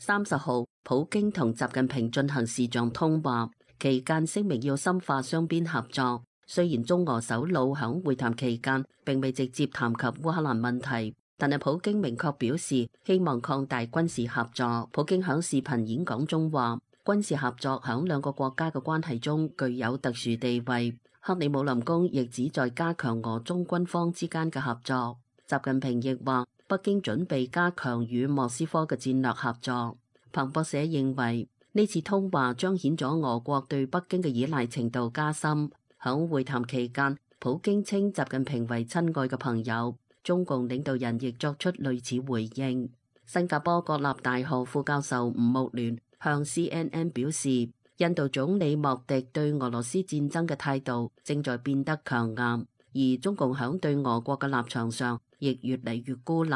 30號，普京同習近平進行視像通話，期間聲明要深化雙邊合作。雖然中俄首腦響會談期間並未直接談及烏克蘭問題，但係普京明確表示希望擴大軍事合作。普京響視頻演講中話，軍事合作響兩個國家嘅關係中具有特殊地位。克里姆林宮亦旨在加強俄中軍方之間嘅合作。習近平亦話，北京準備加強與莫斯科嘅戰略合作。彭博社認為，呢次通話彰顯咗俄國對北京嘅依賴程度加深。響會談期間，普京稱習近平為親愛嘅朋友，中共領導人亦作出類似回應。新加坡國立大學副教授吳穆聯向 CNN 表示，印度總理莫迪對俄羅斯戰爭嘅態度正在變得強硬，而中共響對俄國嘅立場上亦越嚟越孤立。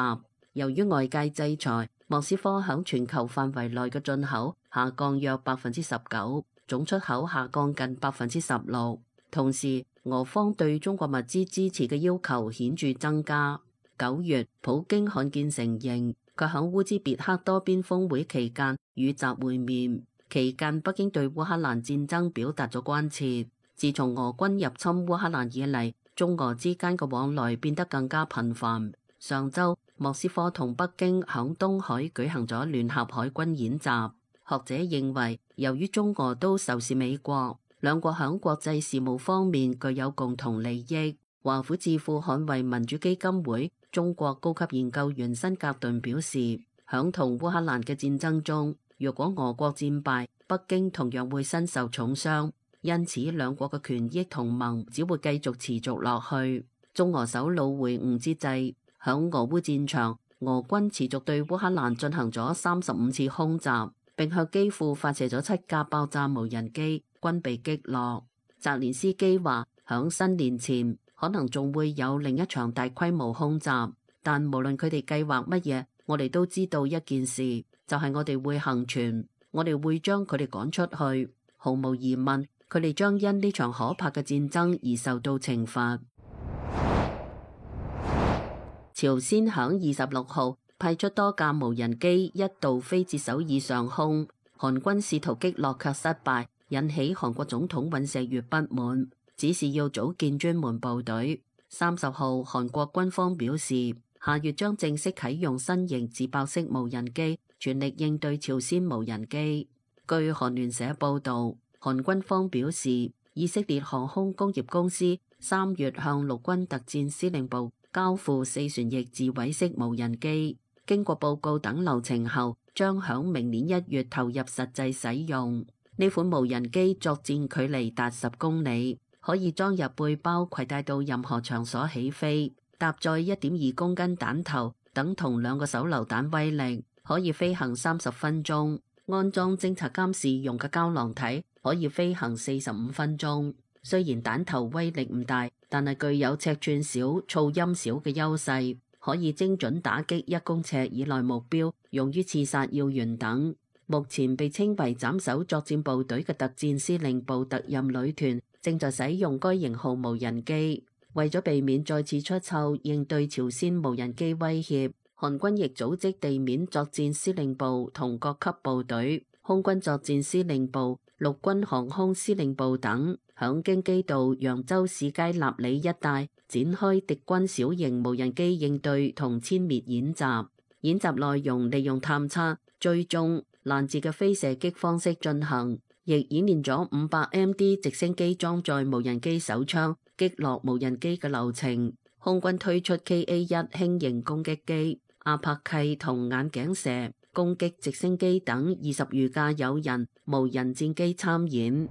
由於外界制裁，莫斯科響全球範圍內嘅進口下降約19%，總出口下降近16%。同時，俄方對中國物資支持嘅要求顯著增加。9月，普京罕見承認佢響烏茲別克多邊峰會期間與習會面，期間北京對烏克蘭戰爭表達咗關切。自從俄軍入侵烏克蘭以嚟，中俄之間嘅往來變得更加頻繁。上週，莫斯科同北京響東海舉行咗聯合海軍演習。學者認為，由於中俄都仇視美國，兩國響國際事務方面具有共同利益。華府智庫捍衛民主基金會中國高級研究員辛格頓表示，響同烏克蘭嘅戰爭中，若果俄國戰敗，北京同樣會身受重傷，因此兩國嘅權益同盟只會繼續持續落去。中俄首腦會晤之際，響俄烏戰場，俄軍持續對烏克蘭進行咗35次空襲，並向基輔發射咗7架爆炸無人機，均被擊落。澤連斯基話，響新年前可能仲會有另一場大規模空襲，但無論佢哋計劃乜嘢，我哋都知道一件事，就係我哋會倖存，我哋會將佢哋趕出去。毫無疑問，佢哋將因呢場可怕嘅戰爭而受到懲罰。朝鮮響26號派出多架無人機一度飛至首爾上空，韓軍試圖擊落卻失敗，引起韓國總統尹錫悅不滿，指示要組建專門部隊。30號，韓國軍方表示，下月將正式啟用新型自爆式無人機，全力應對朝鮮無人機。據韓聯社報道，韓軍方表示，以色列航空工業公司3月向陸軍特戰司令部交付4旋翼自毀式無人機，經過報告等流程後，將響明年1月投入實際使用。呢款無人機作戰距離達10公里，可以裝入背包，攜帶到任何場所起飛。搭載1.2公斤彈頭，等同2個手榴彈威力，可以飛行30分鐘。安裝偵察監視用嘅膠囊體，可以飛行45分鐘。雖然彈頭威力唔大，但係具有尺寸小、噪音小嘅優勢，可以精準打擊1公尺以內目標，用於刺殺要員等。目前被稱為斬首作戰部隊嘅特戰司令部特任旅團正在使用該型號無人機。為咗避免再次出錯應對朝鮮無人機威脅，韓軍亦組織地面作戰司令部同各級部隊、空軍作戰司令部、陸軍航空司令部等，響京畿道揚州市街納里一帶展開敵軍小型無人機應對同殲滅演習。演習內容利用探測、追蹤、攔截嘅飛射擊方式進行，亦演練咗500MD 直升機裝載無人機手槍擊落無人機嘅流程。空軍推出 KA-1 輕型攻擊機、阿帕契同眼鏡蛇攻擊直升機等20餘架有人無人戰機參演。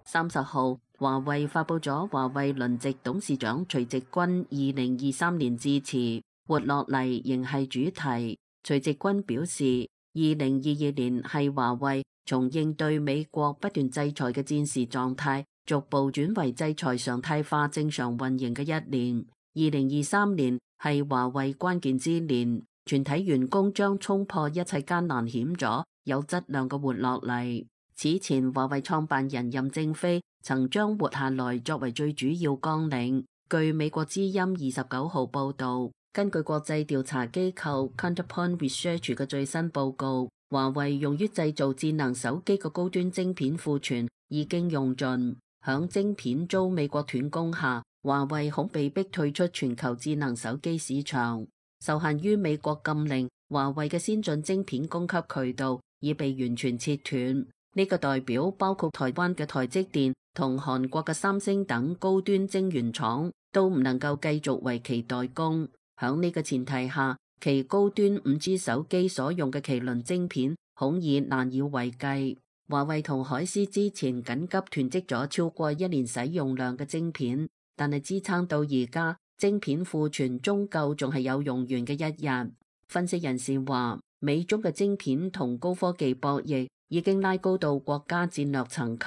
30號，華為發佈咗華為輪值董事長徐直軍2023年致辭，活落嚟仍係主題。徐直軍表示，2022年係華為從應對美國不斷制裁嘅戰時狀態，逐步轉為制裁常態化正常運營嘅一年。2023年係華為關鍵之年，全體員工將衝破一切艱難險阻，有質量嘅活落嚟。此前，華為創辦人任正非曾將活下來作為最主要綱領。據美國之音29號報道，根據國際調查機構 Counterpoint Research 嘅最新報告，華為用於製造智能手機嘅高端晶片庫存已經用盡。響晶片遭美國斷供下，華為恐被逼退出全球智能手機市場。受限於美國禁令，華為嘅先進晶片供給渠道已被完全切斷。呢個代表包括台灣嘅台積電同韓國嘅三星等高端晶圓廠都唔能夠繼續為其代工。響呢個前提下，其高端 5G 手機所用嘅麒麟晶片恐已難以為繼。華為同海思之前緊急囤積咗超過1年使用量嘅晶片，但係支撐到而家，晶片庫存終究仲係有用完嘅一日。分析人士話，美中嘅晶片同高科技博弈已經拉高到國家戰略層級，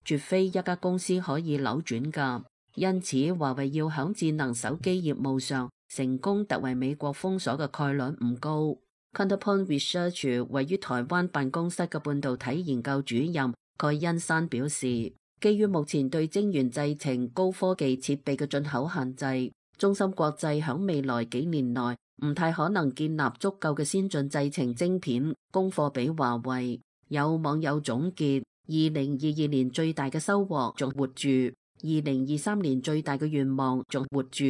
絕非一家公司可以扭轉㗎。因此，華為要響智能手機業務上成功突圍美國封鎖嘅概率唔高。Counterpoint Research 位於台灣辦公室嘅半導體研究主任蓋恩山表示，基於目前對晶圓製程高科技設備嘅進口限制，中芯國際響未來幾年內唔太可能建立足夠嘅先進製程晶片供貨俾華為。有網友總結，2022年最大嘅收穫仲活住，2023年最大嘅願望仲活住。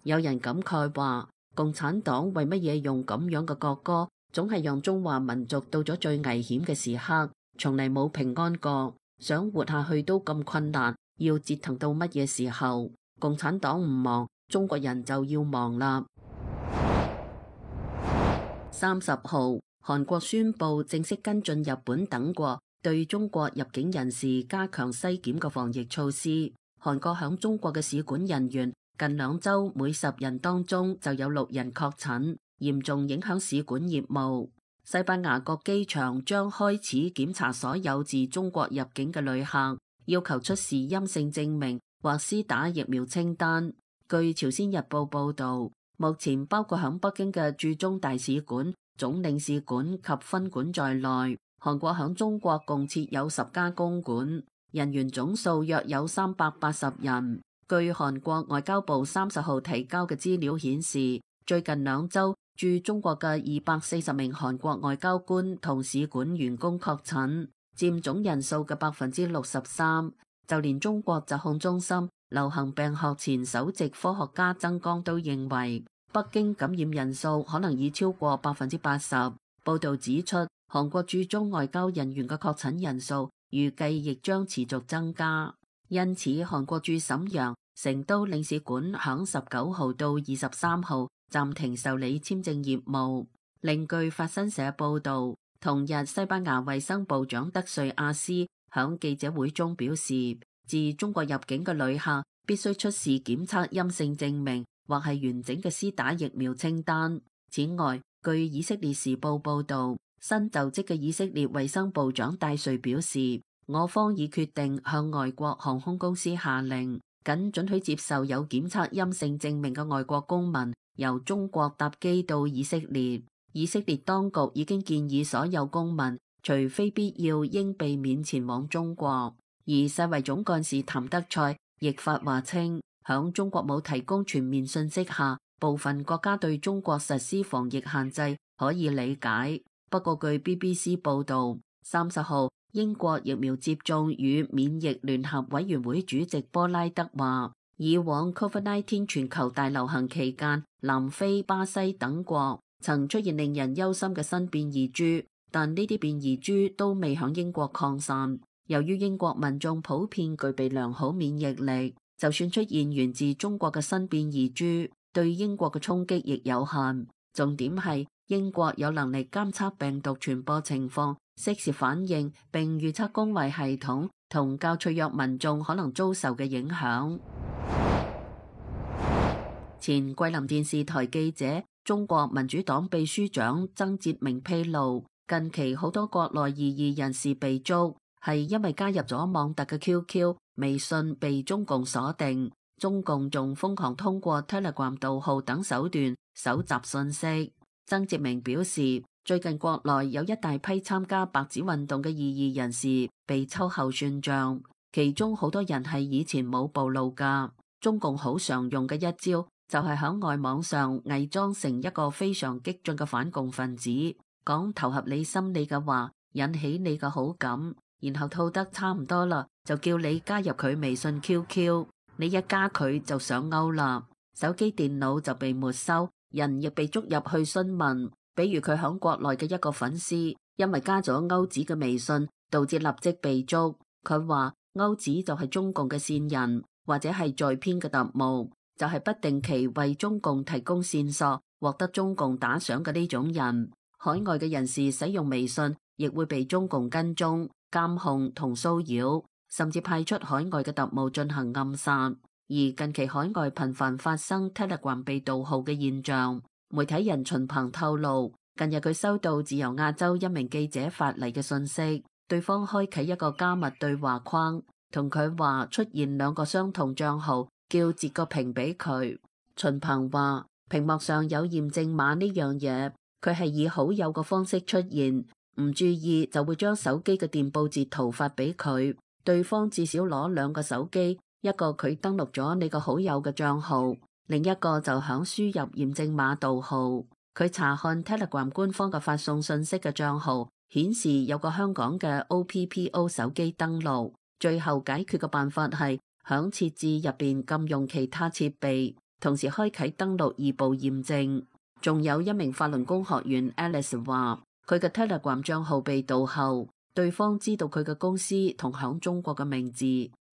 有人感慨話，共產黨為乜嘢用咁樣嘅國歌，總係讓中華民族到咗最危險嘅時刻，從嚟冇平安過，想活下去都咁困難，要折騰到乜嘢時候？共產黨唔忙，中國人就要忙啦。30號，韓國宣布正式跟進日本等國對中國入境人士加強篩檢嘅防疫措施。韓國響中國嘅使館人員近2週每10人當中就有6人確診，嚴重影響使館業務。西班牙各機場將開始檢查所有自中國入境嘅旅客，要求出示陰性證明或施打疫苗清單。據朝鮮日報報道，目前包括響北京嘅駐中大使館、總領事館及分館在內，韓國響中國共設有10家公館，人員總數約有380人。據韓國外交部30號提交嘅資料顯示，最近2週駐中國嘅240名韓國外交官同使館員工確診，佔總人數嘅63%。就連中國疾控中心流行病學前首席科學家曾江都認為，北京感染人數可能已超過80%。報道指出，韓國駐中外交人員嘅確診人數預計亦將持續增加。因此，韓國駐瀋陽、成都領事館響19號到23號暫停受理簽證業務。另據法新社報道，同日西班牙衛生部長德瑞亞斯響記者會中表示，自中國入境嘅旅客必須出示檢測陰性證明或係完整嘅施打疫苗清單。此外，據以色列時報報道，新就職嘅以色列衛生部長戴瑞表示，我方已決定向外國航空公司下令，僅准許接受有檢測陰性證明嘅外國公民由中國搭機到以色列。以色列當局已經建議所有公民，除非必要，應避免前往中國。而世衛總幹事譚德塞亦發話稱，響中國冇提供全面信息下，部分國家對中國實施防疫限制可以理解。不過據 BBC 報道，30號英國疫苗接種與免疫聯合委員會主席波拉德話，以往 COVID-19 全球大流行期間，南非、巴西等國曾出現令人憂心嘅新變異株，但呢啲變異株都未響英國擴散。由於英國民眾普遍具備良好免疫力，就算出現源自中國嘅新變異株，對英國嘅衝擊亦有限。重點係英國有能力監測病毒傳播情況，適時反應並預測公衛系統同較脆弱民眾可能遭受嘅影響。前桂林電視台記者、中國民主黨秘書長曾捷明披露，近期好多國內異議人士被捉，係因為加入咗網特嘅 QQ、微信被中共鎖定，中共仲瘋狂通過 Telegram 盜號等手段搜集信息。曾捷明表示，最近國內有一大批參加白紙運動嘅異議人士被秋後算賬，其中好多人係以前冇暴露㗎。中共好常用嘅一招就就係喺外網上偽裝成一個非常激進嘅反共分子，講投合你心理嘅話，引起你嘅好感，然後套得差唔多啦，就叫你加入佢微信 QQ， 你一加佢就上鈎啦，手機電腦就被沒收，人亦被捉入去詢問。比如佢喺國內嘅一個粉絲，因為加咗歐子嘅微信，導致立即被捉。佢話歐子就係中共嘅線人，或者係在編嘅特務，就係不定期為中共提供線索，獲得中共打賞嘅呢種人。海外嘅人士使用微信，亦會被中共跟蹤、監控同騷擾，甚至派出海外嘅特務進行暗殺。而近期海外頻繁發生 Telegram 被盜號嘅現象。媒體人秦鵬透露，近日佢收到自由亞洲一名記者發嚟嘅信息，對方開啟一個加密對話框，同佢話出現兩個相同賬號，叫截個屏俾佢。秦鵬話屏幕上有驗證碼呢樣嘢，佢係以好友嘅方式出現，唔注意就會將手機嘅電報截圖發俾佢。對方至少攞兩個手機，一個佢登錄咗你個好友嘅賬號，另一個就響輸入驗證碼盜號。佢查看 Telegram 官方嘅發送信息嘅賬號，顯示有個香港嘅 OPPO 手機登錄。最後解決嘅辦法係響設置入邊禁用其他設備，同時開啟登錄二步驗證。仲有一名法輪功學員 Alice 話，佢嘅 Telegram 賬號被盜後，對方知道佢嘅公司同響中國嘅名字，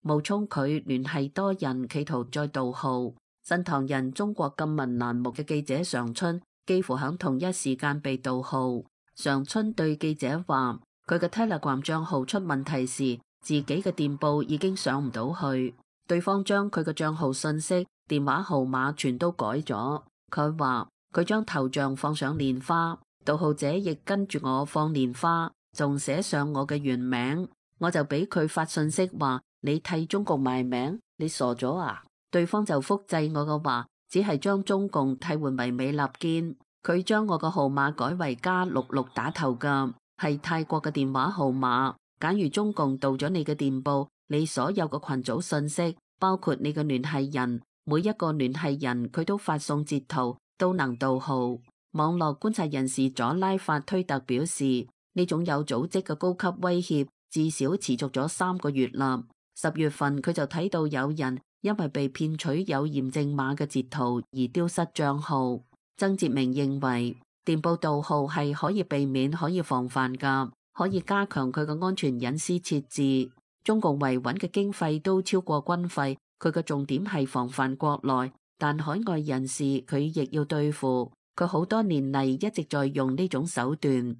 冒充佢聯繫多人，企圖再盜號。新唐人中國禁聞欄目嘅記者常春幾乎喺同一時間被盜號。常春對記者話，佢嘅 Telegram 賬號出問題時，自己嘅電報已經上唔到去，對方將佢嘅賬號信息、電話號碼全都改咗。佢話佢將頭像放上蓮花，盜號者亦跟住我放蓮花，仲寫上我嘅原名，我就俾佢發信息話，你替中共賣名，你傻咗啊？對方就複製我嘅話，只係將中共替換為美利堅。佢將我個號碼改為+66打頭㗎，係泰國嘅電話號碼。假如中共盜咗你嘅電報，你所有嘅群組信息，包括你嘅聯繫人，每一個聯繫人佢都發送截圖，都能盜號。網絡觀察人士佐拉法推特表示，呢種有組織嘅高級威脅至少持續咗3個月啦。10月份佢就睇到有人因為被騙取有驗證碼嘅截圖而丟失賬號。曾哲明認為電報盜號係可以避免、可以防範㗎，可以加強佢嘅安全隱私設置。中共維穩嘅經費都超過軍費，佢嘅重點係防範國內，但海外人士佢亦要對付。佢好多年嚟一直在用呢種手段。呢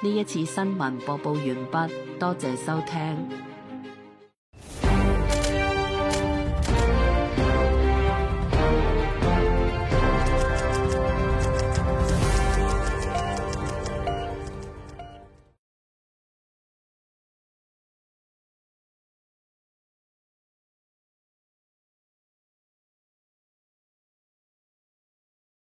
一次新聞播報完畢，多謝收聽。